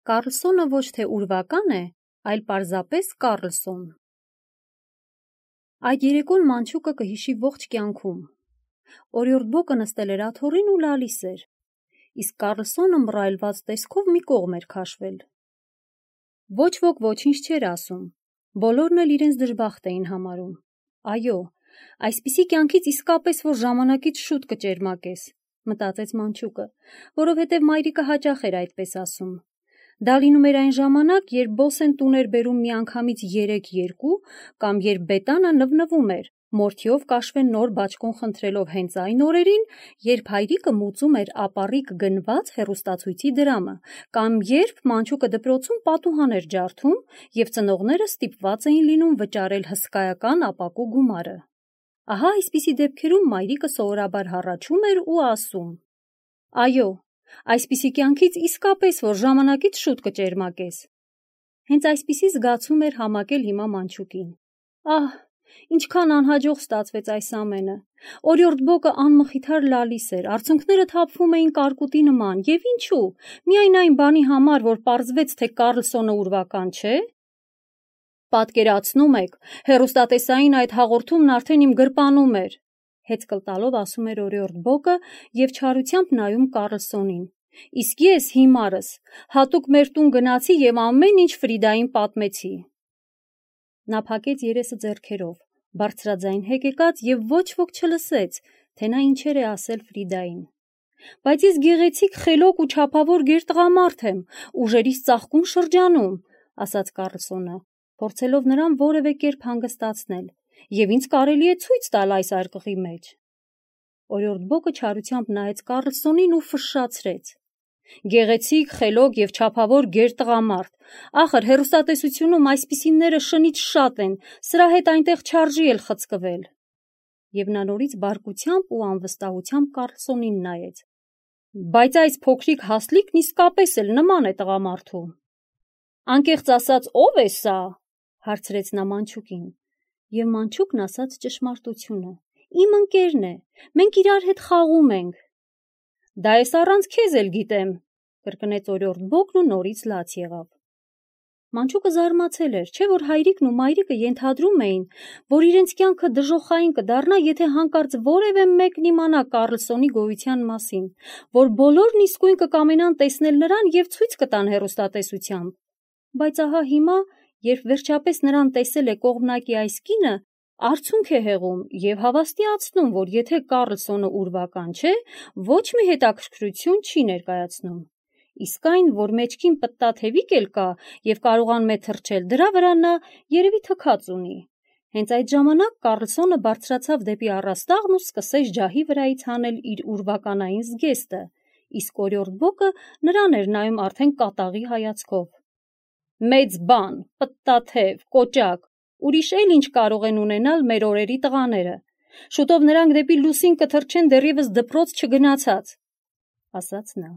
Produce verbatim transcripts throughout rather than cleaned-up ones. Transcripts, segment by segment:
Կառլսոնը ոչ թե ուրվական է, այլ պարզապես Կառլսոն։ Այդ երեկոն մանչուկը կհիշի ողջ կյանքում։ Օրիորդ Բոկը նստել էր աթոռին ու լալիս էր, իսկ Կառլսոնը մռայլված տեսքով մի կողմ էր քաշվել։ Ոչ ոք ոչինչ չէր ասում, բոլորն էլ իրենց դժբախտ էին համարում։ Այո, այսպիսի կյանքից իսկապես որ ժամանակից շուտ կճերմակես, մտածեց մանչուկը, որովհետև մայրիկը հաճախ էր այդպես ասում։ Դա լինում էր այն ժամանակ, երբ բոսեն տուն էր բերում միանգամից երեք երկու, կամ երբ բետանը նվնվում էր, մորթիով կաշվեն նոր բաճկոն խնդրելով հենց այն օրերին, երբ հայրիկը մուծում էր ապառիկ գնված հեռուստացույցի դրամը, կամ երբ մանչուկը դպրոցում պատուհան էր ջարդում, և ծնողները ստիպված էին լինում վճարել հսկայական ապակու գումարը։ Ահա այսպիսի դեպքերում մայրիկը սովորաբար հառաչում էր ու ասում. «Այո, այսպիսի կյանքից իսկապես որ ժամանակից շուտ կճերմակես»։ Հենց այսպիսի զգացում էր համակել հիմա մանչուկին։ Ահ, ինչքան անհաջող ստացվեց այս ամենը։ Օրիորդ Բոկը անմխիթար լալիս էր, արցունքները թափվում էին կարկուտի նման, և ինչու, միայն այն բանի համար, որ պարզվեց, թե Կառլսոնը ուրվական չէ։ Պատկերացնում եք, հեռուստատեսային այդ հաղորդումն արդեն իմ գրպանում էր, հեծկլ տալով ասում էր Օրիորդ Բոկը և չարությամբ նայում Կառլսոնին։ Իսկ ես հիմարս հատուկ մեր տուն գնացի և ամեն ինչ Ֆրիդային պատմեցի։ Նա փակեց երեսը ձեռքերով, բարձրաձայն հեկեկած և ոչ ոք չլսեց, թե նա ինչեր է ասել Ֆրիդային։ Բայց ես գեղեցիկ, խելոք ու չափավոր գերտղամարդ եմ, ուժերիս ծաղկուն շրջանում, ասաց Կառլսոնը, փորձելով նրան որևէ կերպ հանգստացնել, և ինձ կարելի է ցույց տալ այսարկղի մեջ։ Օրիորդ Բոկը չարությամբ նայեց Կառլսոնին ու ֆշշացրեց. Գեղեցիկ, խելոք և չափավոր գերտղամարդ, ախր հեռուստատեսությունում այսպիսիները շնից շատ են, սրա հետ այնտեղ չարժի էլ խցկվել։ Եվ նա նորից բարկությամբ ու անվստահությամբ Կառլսոնին նայեց։ Բայց այս փոքրիկ հասլիկն իսկապես էլ նման է տղամարդու։ Անկեղծ ասած, ո՞վ է սա, հարցրեց նա մանչուկին, և մանչուկն ասաց ճշմարտությունը. Իմ ընկերն է, մենք իրար հետ խաղում ենք։ Դա ես առանց քեզ էլ գիտեմ, կրկնեց Օրիորդ Բոկն ու նորից լաց եղավ։ Մանչուկը զարմացել էր, չէ՞ որ հայրիկն ու մայրիկը ենթադրում էին, որ իրենց կյանքը դժոխային կդառնա, եթե հանկարծ որևէ մեկն իմանա Կառլսոնի գոյության մասին, որ բոլորն իսկույն կկամենան տեսնել նրան և ցույց կտան հեռուստատեսությամբ։ Բայց ահա հիմա, երբ վերջապես նրան տեսել է կողմնակի այս կինը, արցունք է հեղում և հավաստիացնում, որ եթե Կառլսոնը ուրվական չէ, ոչ մի հետաքրքրություն չի ներկայացնում։ Իսկ այն, որ մեջքին պտտաթևիկ էլ կա և կարողանում է թռչել, դրա վրա նա երևի թքած ունի։ Հենց այդ ժամանակ Կառլսոնը բարձրացավ դեպի առաստաղն ու սկսեց ջահի վրայից հանել իր ուրվականային զգեստը, իսկ Օրիորդ Բոկը նրան էր նայում արդեն կատաղի հայացքով։ Մեծ բան, պտտաթև, կոճակ, ուրիշ էլ ինչ կարող են ունենալ մեր օրերի տղաները։ Շուտով նրանք դեպի լուսին կթռչեն դեռևս դպրոց չգնացած, ասաց նա։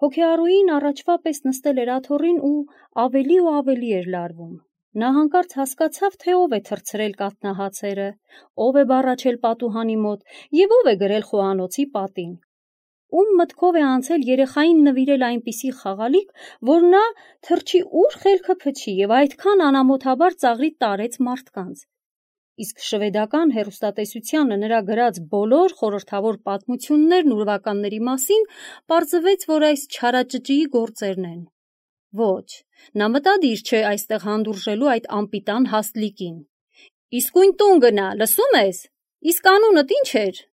Հոգեառուին առաջվա պես նստել էր աթոռին ու ավելի ու ավելի էր լարվում։ Նա հանկարծ հասկացավ, թե ով է թռցրել կաթնահացերը, ով է բառաչել պատուհանի մոտ և ով է գրել խոհանոցի պատին։ Ում մտքով է անցել երեխային նվիրել այնպիսի խաղալիք, որ նա թռչի ուր խելքը փչի և այդքան անամոթաբար ծաղրի տարեց մարդկանց։ Իսկ շվեդական հեռուստատեսությանը նրա գրած բոլոր խորհրդավոր պատմություններն ուրվականների մասին պարզվեց, որ այս չարաճճիի գործերն են։ Ոչ, նա մտադիր չէ այստեղ հանդուրժելու այդ անպիտան հասլիկին։ Իսկույն տուն գնա, լսում ես։ Իսկ անունդ ինչ էր։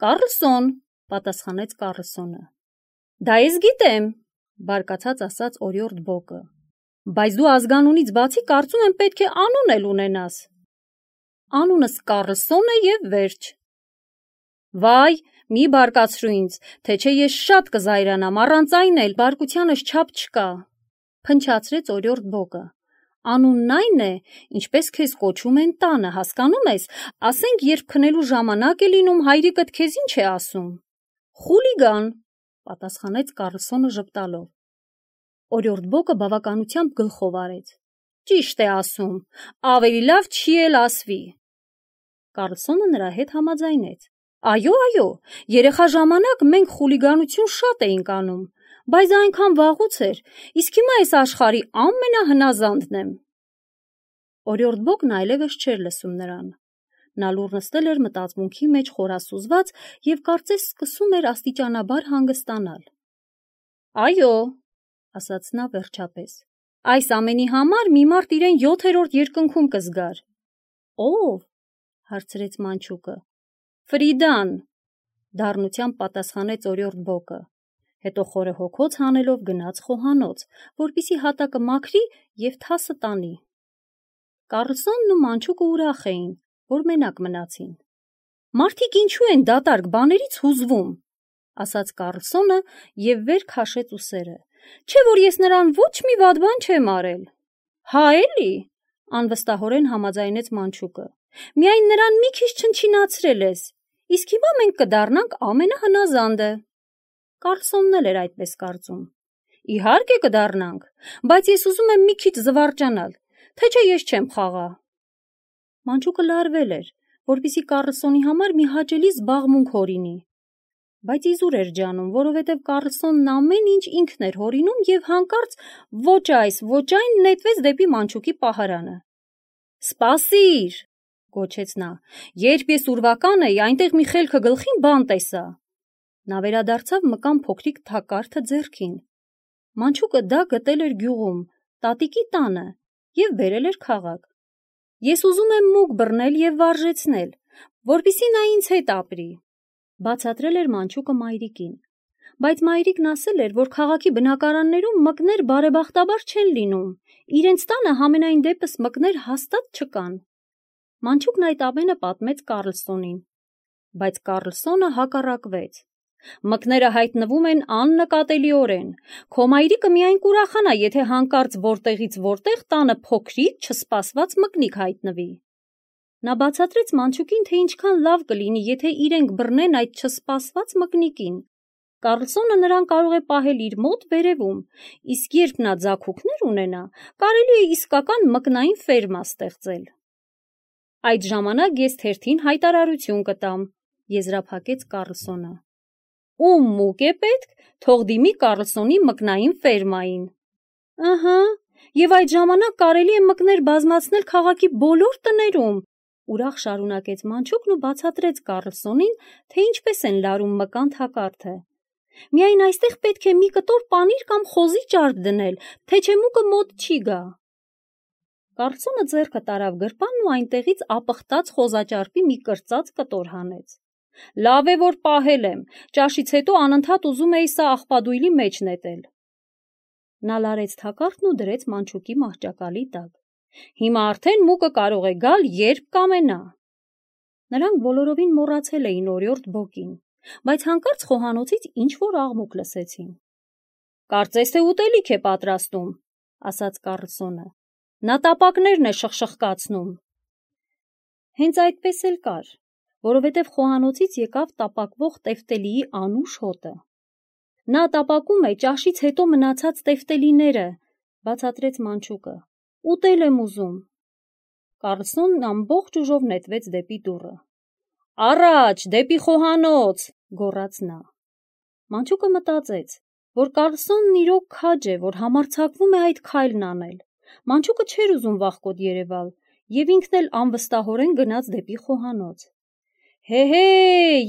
Կառլսոն, պատասխանեց Կառլսոնը։ Դա ես գիտեմ, բարկացած ասաց Օրիորդ Բոկը։ Բայց դու ազգանունից բացի կարծում եմ պետք է անուն էլ ունենաս։ Անունս Կառլսոն է և վերջ։ Վայ, մի բարկացրու ինձ, թե չէ ես շատ կզայրանամ, առանց այն էլ բարկությանս չափ չկա, փնչացրեց Օրիորդ Բոկը։ Անունն այն է, ինչպես քեզ կոչում են տանը, հասկանում ես, ասենք երբ քնելու ժամանակ է լինում, հայրիկդ քեզ ինչ է ասում։ Խուլիգան, պատասխանեց Կառլսոնը ժպտալով։ Օրիորդ Բոկը բավականությամբ գլխով արեց։ Ճիշտ է ասում, ավելի լավ չի էլ ասվի։ Կառլսոնը նրա հետ համաձայնեց։ Այո, այո, երեխա ժամանակ մենք խուլիգանություն շատ էինք անում, Բայց այնքան վաղուց էր, իսկ հիմա այս աշխարհի ամենահնազանդն եմ։ Օրիորդ Բոկն այլևս չէր լսում նրան։ Նա լուռ նստել էր մտածմունքի մեջ խորասուզված և կարծես սկսում էր աստիճանաբար հանգստանալ։ Այո, ասաց նա վերջապես, այս ամենի համար մի մարդ իրեն յոթերորդ երկնքում կզգար։ Ո՞վ, հարցրեց մանչուկը։ Ֆրիդան, դառնությամբ պատասխանեց օրիորդ Բոկը, հետո խորը հոգոց հանելով գնաց խոհանոց, որպեսզի հատակը մաքրի և թասը տանի։ Կարլսոնն ու մանչուկը ուրախ էին, որ մենակ մնացին։ Մարդիկ ինչու են դատարկ բաներից հուզվում, ասաց Կարլսոնը և վեր քաշեց ուսերը, չէ՞ որ ես նրան ոչ մի վատ բան չեմ արել։ Հա էլի, անվստահորեն համաձայնեց մանչուկը, միայն նրան մի քիչ չնչինացրել ես, իսկ հիմա մենք կդառնանք ամենահնազանդը։ Կարլսոնն էլ էր այդպես կարծում։ Իհարկե կդառնանք, բայց ես ուզում եմ մի քիչ զվարճանալ, թե չէ ես չեմ խաղա։ Մանչուկը լարվել էր, որպեսզի Կարլսոնի համար մի հաճելի զբաղմունք հորինի, բայց իզուր էր ջանում, որովհետև Կարլսոնն ամեն ինչ ինքն էր հորինում և հանկարծ ոչ այս, ոչ այն նետվեց դեպի մանչուկի պահարանը։ Սպասիր, գոչեց նա, երբ ես ուրվական էի, այնտեղ մի խելքը գլխին բան տեսա։ Նա վերադարձավ մկան փոքրիկ թակարդը ձեռքին։ Մանչուկը դա գտել էր գյուղում, տատիկի տանը և բերել էր քաղաք։ Ես ուզում եմ մուկ բռնել և վարժեցնել, որպեսզի նա ինձ հետ ապրի, բացատրել էր մանչուկը մայրիկին, բայց մայրիկն ասել էր, որ քաղաքի բնակարաններում մկներ բարեբախտաբար չեն լինում, իրենց տանը համենայն դեպս մկներ հաստատ չկան։ Մանչուկն այդ ամենը պատմեց Կարլսոնին, բայց Կարլսոնը հակառակվեց։ Մկները հայտնվում են աննկատելիորեն, քո մայրիկը միայն կուրախանա, եթե հանկարծ որտեղից որտեղ տանը փոքրիկ չսպասված մկնիկ հայտնվի։ Նա բացատրեց մանչուկին, թե ինչքան լավ կլինի, եթե իրենք բռնեն այդ չսպասված մկնիկին։ Կարլսոնը նրան կարող է պահել իր մոտ վերևում, իսկ երբ նա ձագուկներ ունենա, կարելի է իսկական մկնային ֆերմա ստեղծել։ Այդ ժամանակ ես թերթին հայտարարություն կտամ, եզրափակեց Կարլսոնը։ Ում մուկ է պետք, թող դիմի Կարլսոնի մկնային ֆերմային։ Ըհը, և այդ ժամանակ կարելի է մկներ բազմացնել քաղաքի բոլոր տներում, ուրախ շարունակեց մանչուկն ու բացատրեց Կարլսոնին, թե ինչպես են լարում մկան թակարդը։ Միայն այստեղ պետք է մի կտոր պանիր կամ խոզի ճարպ դնել, թե չէ մուկը մոտ չի գա։ Կարլսոնը ձեռքը տարավ գրպանն ու այնտեղից ապխտած խոզաճարպի մի կրծած կտոր հանեց։ Լավ է, որ պահել եմ, ճաշից հետո անընդհատ ուզում էի սա աղբադույլի մեջ նետել։ Նա լարեց թակարդն ու դրեց մանչուկի մահճակալի տակ։ Հիմա արդեն մուկը կարող է գալ, երբ կամենա։ Նրանք բոլորովին մոռացել էին օրիորդ Բոկին, բայց հանկարծ խոհանոցից ինչ-որ աղմուկ լսեցին։ Կարծես թե ուտելիք է պատրաստում, ասաց Կարլսոնը։ Նա տապակներն է շխշխկացնում։ Հենց այդպես էլ կար, որովհետև խոհանոցից եկավ տապակվող տեֆտելիի անուշ հոտը։ Նա տապակում է ճաշից հետո մնացած տեֆտելիները, բացատրեց մանչուկը։ Ուտել եմ ուզում։ Կարլսոնն ամբողջ ուժով նետվեց դեպի դուռը։ Առաջ, դեպի խոհանոց, գոռաց նա։ Մանչուկը մտածեց, որ Կարլսոնն իրոք քաջ է, որ համարձակվում է այդ քայլն անել։ Մանչուկը չէր ուզում վախկոտ երևալ, և ինքն էլ անվստահորեն գնաց դեպի խոհանոց։ Հե՛հե,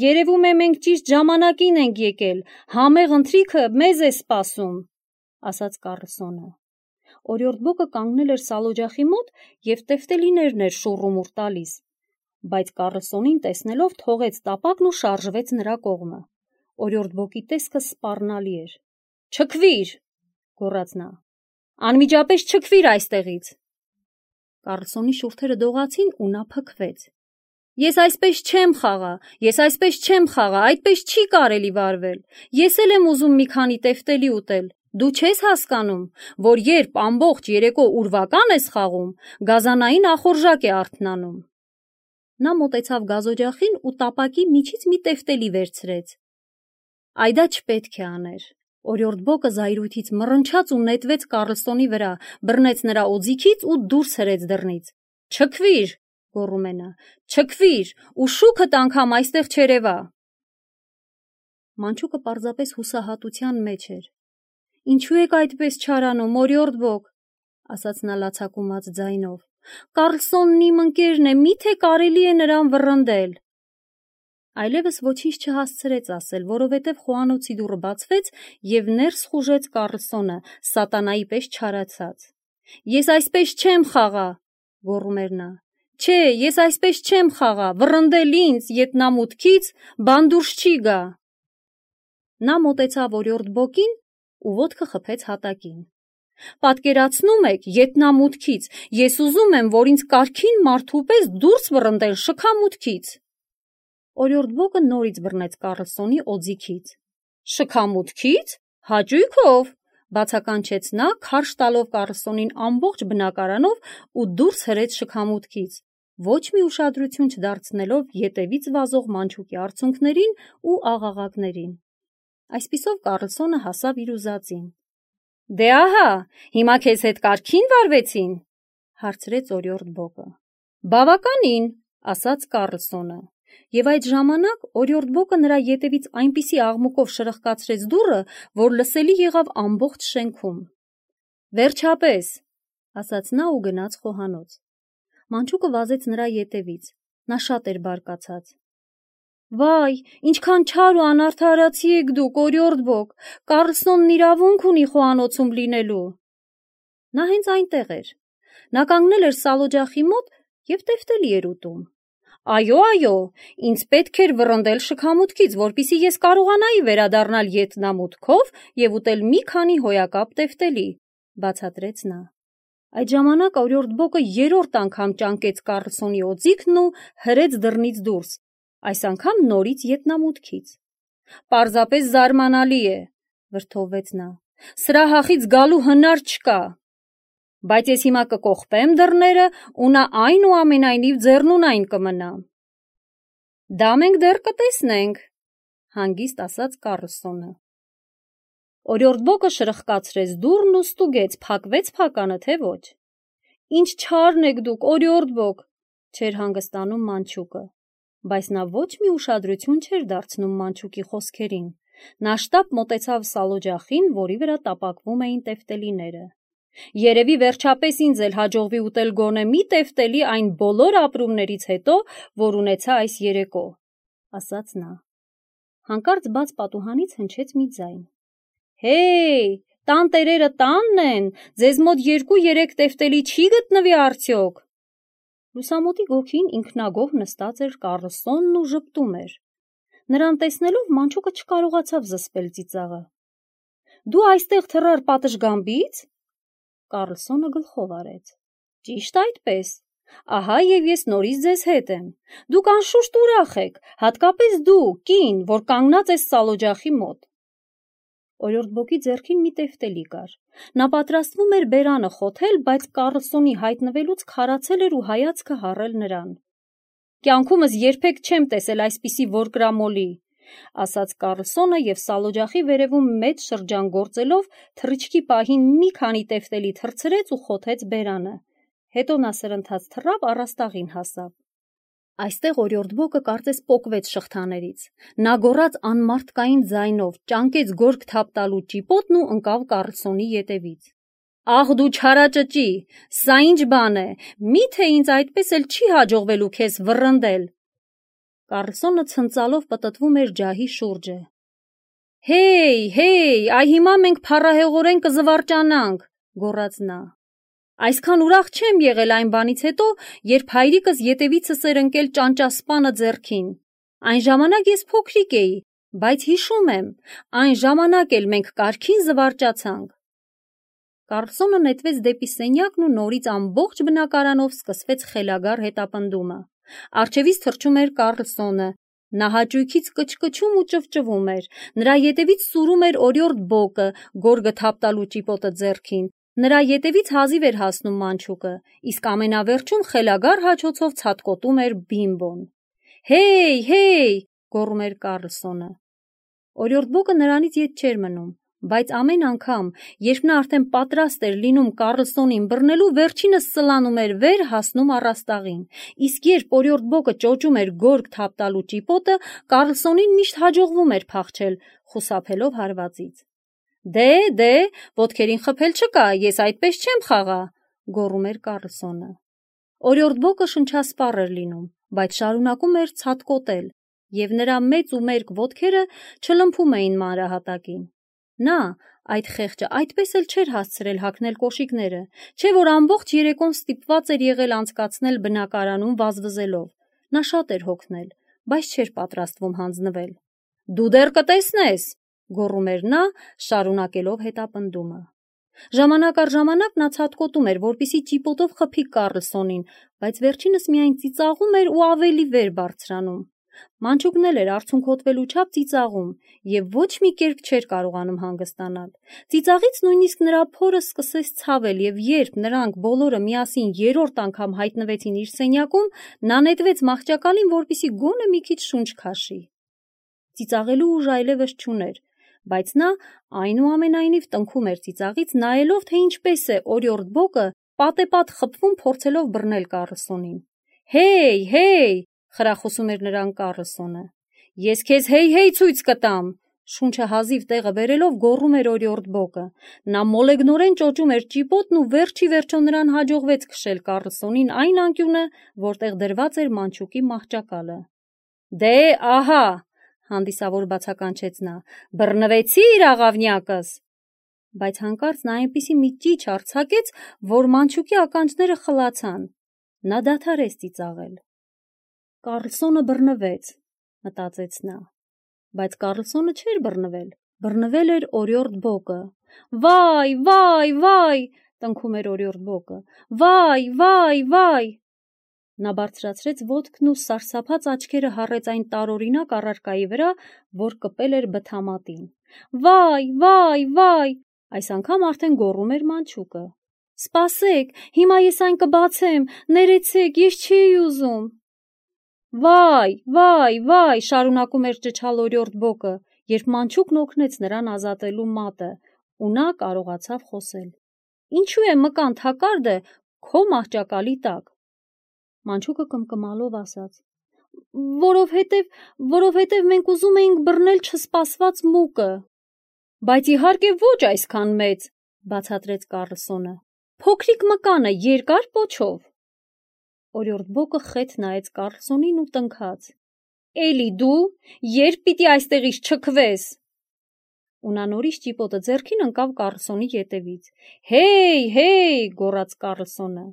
երևում է մենք ճիշտ ժամանակին ենք եկել, համեղ ընթրիքը մեզ է սպասում, ասաց Կարլսոնը։ Օրիորդ Բոկը կանգնել էր սալօջախի մոտ և տեֆտելիներն էր շուռումուռ տալիս, բայց Կարլսոնին տեսնելով թողեց տապակն ու շարժվեց նրա կողմը։ Օրիորդ Բոկի տեսքը սպառնալի էր։ Չքվիր, գոռաց նա։ Անմիջապես չքվիր այստեղից։ Կարլսոնի շուրթերը դողացին ու նա փքվեց։ Ես այսպես չեմ խաղա, ես այսպես չեմ խաղա, այդպես չի կարելի վարվել։ Ես էլ եմ ուզում մի քանի տեֆտելի ուտել։ Դու չես հասկանում, որ երբ ամբողջ երեկո ուրվական ես խաղում, գազանային ախորժակ է արթնանում։ Նա մոտեցավ գազօջախին ու տապակի միջից մի տեֆտելի վերցրեց։ Այ դա չպետք է աներ։ Օրիորդ Բոկը զայրույթից մռնչաց ու նետվեց Կարլսոնի վրա, բռնեց նրա օձիքից ու դուրս հրեց դռնից։ Չքվիր, գոռում է նա, չքվիր, ու շուքդ անգամ այստեղ չերևա։ Մանչուկը պարզապես հուսահատության մեջ էր։ Ինչու եք այդպես չարանում, օրիորդ բոկ, ասաց նա լացակումած ձայնով։ Կարլսոնն իմ ընկերն է, միթե կարելի է նրան վռնդել։ Այլևս ոչինչ չհասցրեց ասել, որովհետև խոհանոցի դուռը բացվեց և ներս խուժեց Կարլսոնը, սատանայի պես չարացած։ Ես այսպես չեմ խաղա, գոռում էր նա։ Չէ, ես այսպես չեմ խաղա, վռնդել ինձ ետնամուտքից, բան դուրս չի գա։ Նա մոտեցավ օրիորդ բոկին ու ոտքը խփեց հատակին։ Պատկերացնում եք, ետնամուտքից, ես ուզում եմ, որ ինձ կարգին մարդու պես դուրս վռնդել շքամուտքից։ Օրիորդ բոկը նորից բռնեց Կարլսոնի օձիքից։ Շքամուտքից, հաճույքով, բացականչեց նա, քարշ տալով Կարլսոնին ամբողջ բնակարանով ու դուրս հրեց շքամուտքից, ոչ մի ուշադրություն չդարձնելով ետևից վազող մանչուկի արցունքներին ու աղաղակներին։ Այսպիսով Կարլսոնը հասավ իր ուզածին։ Դե ահա, հիմա քեզ հետ կարգին վարվեցին, հարցրեց օրիորդ բոկը։ Բավականին, ասաց Կարլսոնը, և այդ ժամանակ օրիորդ բոկը նրա ետևից այնպիսի աղմուկով շրխկացրեց դուռը, որ լսելի եղավ ամբողջ շենքում։ Վերջապես, ասաց նա ու գնաց խոհանոց։ Մանչուկը վազեց նրա ետևից, նա շատ էր բարկացած։ Վայ, ինչքան չար ու անարդարացի եք դուք, օրիորդ բոկ, Կարլսոնն իրավունք ունի խոհանոցում լինելու։ Նա հենց այնտեղ էր։ Նա կանգնել էր սալօջախի մոտ և տեֆտելի էր ուտում։ Այո, այո, ինձ պետք էր վռնդել շքամուտքից, որպեսզի ես կարողանայի վերադառնալ ետնամուտքով և ուտել մի քանի հոյակապ տեֆտելի, բացատրեց նա։ Այդ ժամանակ օրիորդ բոկը երրորդ անգամ ճանկեց Կարլսոնի օձիքն ու հրեց դռնից դուրս, այս անգամ նորից ետնամուտքից։ Պարզապես զարմանալի է, վրդովվեց նա։ Սրա հախից գալու հնար չկա։ Բայց ես հիմա կկողպեմ դռները ու նա այնուամենայնիվ ձեռնունայն կմնա։ Դա մենք դեռ կտեսնենք, հանգիստ ասաց Կարլսոնը։ Օրիորդ բոկը շրխկացրեց դուռն ու ստուգեց, փակվեց փականը, թե ոչ։ Ինչ չարն եք դուք, օրիորդ բոկ, չէր հանգստանում մանչուկը, բայց նա ոչ մի ուշադրություն չէր դարձնում մանչուկի խոսքերին։ Նա շտապ մոտեցավ սալօջախին, որի վրա տապակվում էին տեֆտելիները։ Երևի վերջապես ինձ էլ հաջողվի ուտել գոնե մի տեֆտելի այն բոլոր ապրումներից հետո, որ ունեցա այս երեկո, ասաց նա։ Հանկարծ բաց պատուհանից հնչեց մի ձայն։ Հեյ, տան տերերը տանն են, ձեզ մոտ երկու-երեք տեֆտելի չի գտնվի արդյոք։ Լուսամուտի գոգին ինքնագոհ նստած էր Կարլսոնն ու ժպտում էր։ Նրան տեսնելով մանչուկը չկարողացավ զսպել ծիծաղը։ Դու այստեղ թռար պատշգամբից։ Կարլսոնը գլխով արեց։ Ճիշտ այդպես։ Ահա և ես նորից ձեզ հետ եմ։ Դուք անշուշտ ուրախ եք, հատկապես դու, կին, որ կանգնած ես սալօջախի մոտ։ Օրիորդ բոկի ձեռքին մի տեֆտելի կար։ Նա պատրաստվում էր բերանը խոթել, բայց Կարլսոնի հայտնվելուց քարացել էր ու հայացքը հառել նրան։ Կյանքումս երբեք չեմ տեսել այսպիսի որկրամոլի, ասաց Կարլսոնը և սալօջախի վերևում մեծ շրջան գործելով թռիչքի պահին մի քանի տեֆտելի թռցրեց ու խոթեց բերանը։ Հետո նա սրընթաց թռավ առաստաղին հասավ։ Այստեղ օրիորդ բոկը կարծես պոկվեց շղթաներից։ Նա գոռաց անմարդկային ձայնով, ճանկեց գորգ թափ տալու ճիպոտն ու ընկավ Կարլսոնի ետևից։ Ախ դու չարաճճի, սա ինչ բան է, միթե ինձ այդպես էլ չի հաջողվելու քեզ վռնդել։ Կարլսոնը ցնծալով պտտվում էր ջահի շուրջը։ Հեյ, հեյ, այ հիմա մենք փառահեղորեն կզվարճանանք, գոռաց նա։ Այսքան ուրախ չեմ եղել այն բանից հետո, երբ հայրիկս ետևիցս էր ընկել ճանճասպանը ձեռքին։ Այն ժամանակ ես փոքրիկ էի, բայց հիշում եմ, այն ժամանակ էլ մենք կարգին զվարճացանք։ Կարլսոնը նետվեց դեպի սենյակն ու նորից ամբողջ բնակարանով սկսվեց խելագար հետապնդումը։ Առջևից թռչում էր Կարլսոնը։ Նա հաճույքից կչկչում ու ճվճվում էր։ Նրա ետևից սուրում էր օրիորդ բոկը, գորգը թափ տալու ճիպոտը ձեռքին։ Նրա ետևից հազիվ էր հասնում մանչուկը, իսկ ամենավերջում խելագար հաչոցով ցատկոտում էր Բիմբոն։ Հեյ, հեյ, գոռում էր Կարլսոնը։ Օրիորդ բոկը նրանից ետ չէր մնում, բայց ամեն անգամ, երբ նա արդեն պատրաստ էր լինում Կարլսոնին բռնելու, վերջինս սլանում էր վեր, հասնում առաստաղին, իսկ երբ օրիորդ բոկը ճոճում էր գորգ թափ տալու ճիպոտը, Կարլսոնին միշտ հաջողվում էր փախչել, խուսափելով հարվածից։ Դե, դե, ոտքերին խփել չկա, ես այդպես չեմ խաղա, գոռում էր Կառլսոնը։ Օրիորդ Բոկը շնչասպառ էր լինում, բայց շարունակում էր ցատկոտել, և նրա մեծ ու մերկ ոտքերը չլմփում էին մանրահատակին։ Նա, այդ խեղճը, այդպես էլ չէր հասցրել հագնել կոշիկները, չէ՞ որ ամբողջ երեկոն ստիպված էր եղել անցկացնել բնակարանում վազվզելով։ Նա շատ էր հոգնել, բայց չէր պատրաստվում հանձնվել։ Դու դեռ կտեսնես, գոռում էր նա, շարունակելով հետապնդումը։ Ժամանակ առ ժամանակ նա ցատկոտում էր, որպեսզի ճիպոտով խփի Կառլսոնին, բայց վերջինս միայն ծիծաղում էր ու ավելի վեր բարձրանում։ Մանչուկն էլ էր արցունքոտվելու չափ ծիծաղում և ոչ մի կերպ չէր կարողանում հանգստանալ։ Ծիծաղից նույնիսկ նրա փորը սկսեց ցավել, և երբ նրանք բոլորը միասին երրորդ անգամ հայտնվեցին իր սենյակում, նա նետվեց մահճակալին, որպեսզի գոնե մի քիչ շունչ քաշի։ Ծիծաղելու ուժ այլևս չուներ, բայց նա այնուամենայնիվ տնքում էր ծիծաղից, նայելով, թե ինչպես է Օրիորդ Բոկը պատեպատ խփվում, փորձելով բռնել Կառլսոնին։ «Հեյ, հեյ», խրախուսում էր նրան Կառլսոնը։ «Ես քեզ հեյ-հեյ ցույց կտամ», շունչը հազիվ տեղը բերելով գոռում էր Օրիորդ Բոկը։ Նա մոլեգնորեն ճոճում էր ճիպոտն ու վերջ ի վերջո նրան հաջողվեց քշել Կառլսոնին այն անկյունը, որտեղ դրված էր մանչուկի մահճակալը։ «Դե, ահա», հանդիսավոր բացականչեց նա, «բռնվեցի՞ր, աղավնյակս»։ Բայց հանկարծ նա այնպիսի մի ճիչ արձակեց, որ մանչուկի ականջները խլացան։ Նա դադարեց ծիծաղել։ «Կառլսոնը բռնվեց», մտածեց նա։ Բայց Կառլսոնը չէր բռնվել, բռնվել էր Օրիորդ Բոկը։ «Վայ, վայ, վայ», տնքում էր Օրիորդ Բոկը, «վայ, վայ, վայ»։ Նա բարձրացրեց ոտքն ու սարսափած աչքերը հառեց այն տարօրինակ առարկայի վրա, որ կպել էր բթամատին։ «Վայ, վայ, վայ», այս անգամ արդեն գոռում էր մանչուկը։ «Սպասեք, հիմա ես այն կբացեմ, ներեցեք, ես չէի ուզում»։ «Վայ, վայ, վայ», շարունակում էր ճչալ Օրիորդ Բոկը, երբ մանչուկն օգնեց նրան ազատելու մատը, ու նա կարողացավ խոսել։ «Ինչու է մկան թակարդը քո մահճակալի տակ»։ Մանչուկը կմկմալով ասաց. «Որովհետև, որովհետև մենք ուզում էինք բռնել չսպասված մուկը»։ «Բայց իհարկե ոչ այսքան մեծ», բացատրեց Կառլսոնը։ «Փոքրիկ մկանը երկար պոչով»։ Օրիորդ Բոկը խետ նայեց Կառլսոնին ու տնքաց. «Էլի դու, երբ պիտի այստեղից չքվես»։ Ու նա նորից ճիպոտը ձեռքին ընկավ Կառլսոնի ետևից։ «Հեյ, հեյ», գոռաց Կառլսոնը։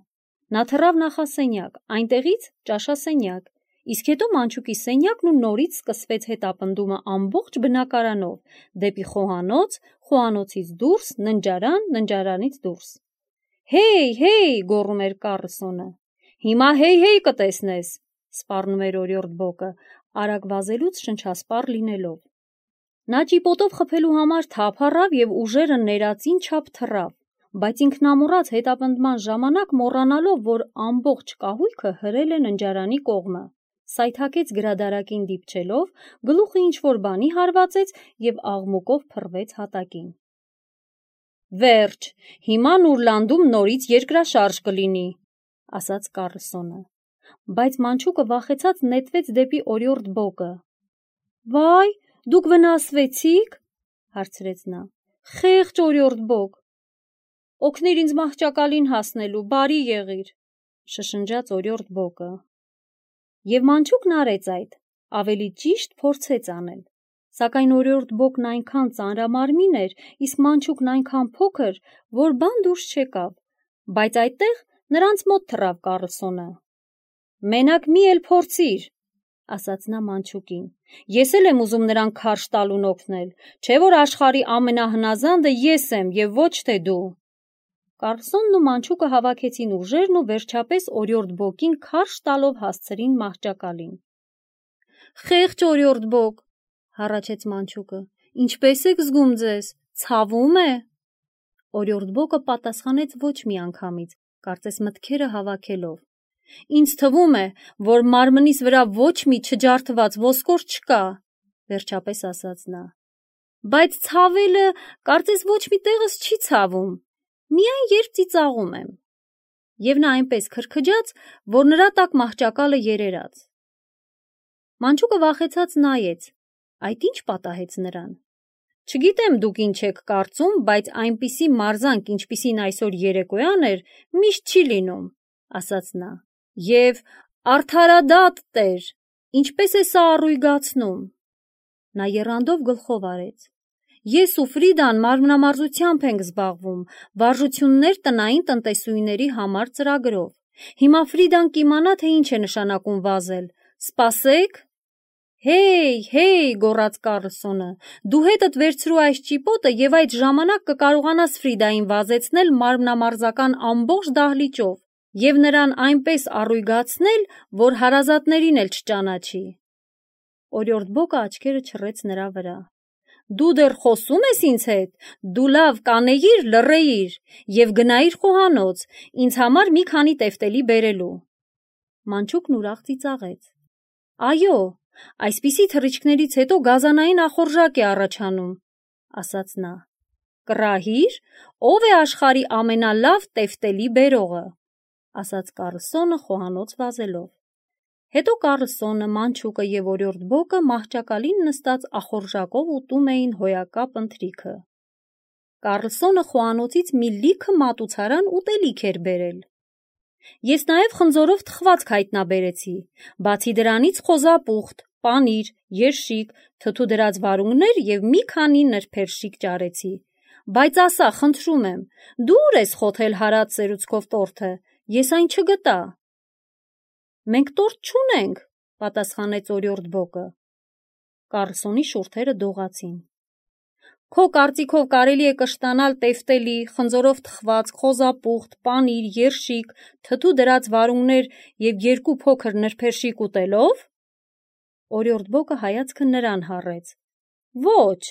Նա թռավ նախասենյակ, այնտեղից ճաշասենյակ, իսկ հետո մանչուկի սենյակն ու նորից սկսվեց հետապնդումը ամբողջ բնակարանով, դեպի խոհանոց, խոհանոցից դուրս, ննջարան, ննջարանից դուրս։ «Հեյ, հեյ», գոռում էր Կառլսոնը։ «Հիմա հեյ-հեյ կտեսնես», սպառնում էր Օրիորդ Բոկը, արագ վազելուց շնչասպառ լինելով։ Նա ճիպոտով խփելու համար թափ առավ և ուժերը ներածին չափ թռավ, բայց ինքնամոռաց հետապնդման ժամանակ մոռանալով, որ ամբողջ կահույքը հրել է ննջարանի կողմը, սայթաքեց գրադարակին դիպչելով, գլուխը ինչ-որ բանի հարվածեց և աղմուկով փռվեց հատակին։ «Վերջ, հիմա Նուրլանդում նորից երկրաշարժ կլինի», ասաց Կառլսոնը։ Բայց մանչուկը վախեցած նետվեց դեպի Օրիորդ Բոկը։ «Վայ, դուք վնասվեցի՞ք», հարցրեց նա։ «Խեղճ Օրիորդ Բոկ»։ «Օգնիր ինձ մահճակալին հասնելու, բարի եղիր», շշնջաց Օրիորդ Բոկը։ Եվ մանչուկն արեց այդ, ավելի ճիշտ փորձեց անել։ Սակայն Օրիորդ Բոկն այնքան ծանրամարմին էր, իսկ մանչուկն այնքան փոքր, որ բան դուրս չեկավ, բայց այդտեղ նրանց մոտ թռավ Կառլսոնը։ «Մենակ մի էլ փորձիր», ասաց նա մանչուկին։ «Ես էլ եմ ուզում նրան քարշ տալուն օգնել, չէ՞ որ աշխարհի ամենահնազանդը ես եմ և ոչ թե դու»։ Կառլսոնն ու մանչուկը հավաքեցին ուժերն ու վերջապես Օրիորդ Բոկին քարշ տալով հասցրին մահճակալին։ «Խեղճ Օրիորդ Բոկ», հառաչեց մանչուկը, «ինչպե՞ս եք զգում ձեզ, ցավում է»։ Օրիորդ Բոկը պատասխանեց ոչ մի անգամից, կարծես մտքերը հավաքելով։ «Ինձ թվում է, որ մարմնիս վրա ոչ մի չջարդված ոսկոր չկա», վերջապես ասաց նա։ «Բայց ցավելը կարծես ոչ մի տեղս չի ցավում, միայն երբ ծիծաղում եմ»։ Եվ նա այնպես քրքջաց, որ նրա տակ մահճակալը երերաց։ Մանչուկը վախեցած նայեց, այդ ի՞նչ պատահեց նրան։ Չգիտեմ դուք ինչ եք կարծում, բայց այնպիսի մարզանք, ինչպիսին այսօր երեկոյան էր, միշտ չի լինում, ասաց նա, և արդարադատ տեր, ինչպես է սա առույգացնում։ Նա եռանդով գլխով արեց։ Ես ու Ֆրիդան մարմնամարզությամբ ենք զբաղվում, վարժություններ տնային տնտեսուհիների համար ծրագրով։ Հիմա Ֆրիդան կիմանա, թե ինչ է նշանակում վազել։ Սպասեք։ Հեյ, հեյ, գոռաց Կարլսոնը, դու հետդ վերցրու այս ճիպոտը և այդ ժամանակ կկարողանաս Ֆրիդային վազեցնել մարմնամարզական ամբողջ դահլիճով և նրան այնպես առույգացնել, որ հարազատներին էլ չճանաչի։ Օրիորդ Բոկը աչքերը չռեց նրա վրա։ Դու դեռ խոսում ես ինձ հետ, դու լավ կանեիր, լռեիր և գնայիր խոհանոց, ինձ համար մի քանի տեֆտելի բերելու։ Մանչուկն ուրախ ծիծաղեց։ Այո, այսպիսի թռիչքներից հետո գազանային ախորժակ է առաջանում, ասաց նա։ Կռահի՞ր, ով է աշխարհի ամենալավ տեֆտելի բերողը, ասաց Կարլսոնը խոհանոց վազելով։ Հետո Կարլսոնը, Մանչուկը և Օրիորդ Բոկը մահճակալին նստած ախորժակով ուտում էին հոյակապ ընթրիքը։ Կարլսոնը խոհանոցից մի լիքը մատուցարան ուտելիք էր բերել։ Ես նաև խնձորով թխվածք հայտնաբերեցի, բացի դրանից խոզապուխտ, պանիր, երշիկ, թթու դրած վարունգներ և մի քանի նրբերշիկ ճարեցի։ Բայց ասա, խնդրում եմ, դու ուր ես խոթել հարած սերուցքով տորթը, ես այն չգտա։ Մենք տորթ չունենք, պատասխանեց Օրիորդ Բոկը։ Կարլսոնի շուրթերը դողացին։ Քո կարծիքով կարելի է կշտանալ տեֆտելի, խնձորով թխված, խոզապուխտ, պանիր, երշիկ, թթու դրած վարունգներ և երկու փոքր նրբերշիկ ուտելով։ Օրիորդ Բոկը հայացքը նրան հառեց։ Ոչ,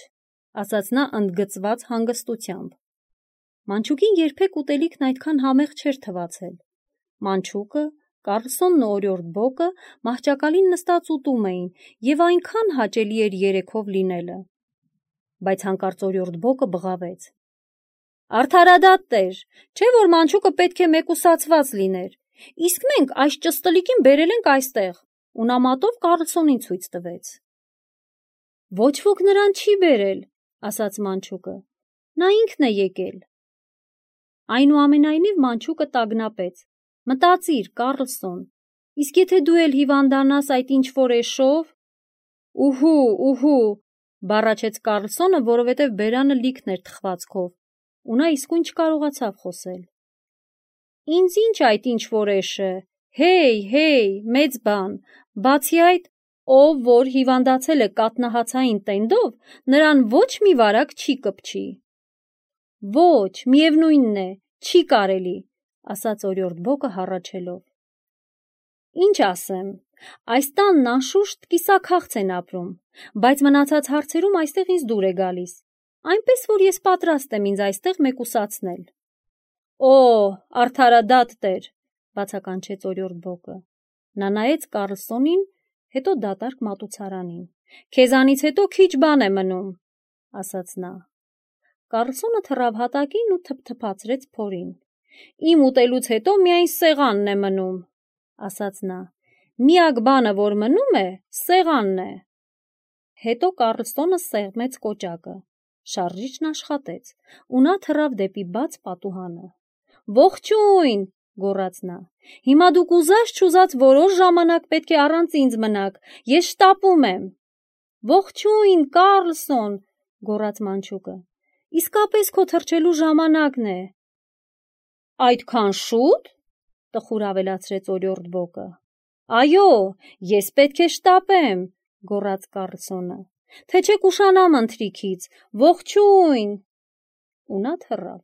ասաց նա ընդգծված հանգստությամբ։ Մանչուկին երբեք ուտելիքն այդքան համեղ չէր թվացել։ Մանչուկը, Կարլսոնն ու Օրիորդ Բոկը մահճակալին նստած ուտում էին և այնքան հաճելի էր երեքով լինելը։ Բայց հանկարծ Օրիորդ Բոկը բղավեց. Արդարադատ տեր, չէ՞ որ Մանչուկը պետք է մեկուսացված լիներ, իսկ մենք այս ճստլիկին բերել ենք այստեղ, ու նա մատով Կարլսոնին ցույց տվեց։ Ոչ ոք նրան չի բերել, ասաց Մանչուկը, նա ինքն է եկել։ Այնուամենայնիվ Մանչուկը տագնապեց. Մտածիր, Կարլսոն, իսկ եթե դու էլ հիվանդանաս այդ ինչ-որ էշով։ Ուհու, ուհու, բառաչեց Կարլսոնը, որովհետև բերանը լիքն էր թխվածքով, ու նա իսկույն չկարողացավ խոսել։ Ինձ ինչ այդ ինչ-որ էշը, հեյ, հեյ, մեծ բան, բացի այդ, ով որ հիվանդացել է կաթնահացային տենդով, նրան ոչ մի վարակ չի կպչի։ Ոչ, միևնույնն է, չի կարելի, ասաց Օրիորդ Բոկը հառաչելով։ Ինչ ասեմ, այս տանն անշուշտ կիսաքաղց են ապրում, բայց մնացած հարցերում այստեղ ինձ դուր է գալիս, այնպես որ ես պատրաստ եմ ինձ այստեղ մեկուսացնել։ Օ, արդարադատ տեր, բացականչեց Օրիորդ Բոկը։ Նա նայեց Կարլսոնին, հետո դատարկ մատուցարանին։ Քեզանից հետո քիչ բան է մնում, ասաց նա։ Կարլսոնը թռավ հատակին ու թփթփացրեց փորին։ Իմ ուտելուց հետո միայն սեղանն է մնում, ասաց նա։ Միակ բանը, որ մնում է, սեղանն է։ Հետո Կարլսոնը սեղմեց կոճակը։ Շարժիչն աշխատեց, ու նա թռավ դեպի բաց պատուհանը։ Ողջույն, գոռաց նա։ Հիմա դուք ուզած չուզած որոշ ժամանակ պետք է առանց ինձ մնաք, ես շտապում եմ։ Ողջույն, Կարլսոն, գոռաց Մանչուկը։ Իսկապես քո թռչելու ժամանակն է։ Այդքան շուտ, տխուր ավելացրեց Օրիորդ Բոկը։ Այո, ես պետք է շտապեմ, գոռաց Կարլսոնը, թե չեք ուշանամ ընթրիքից, ողջույն։ Ու նա թռավ։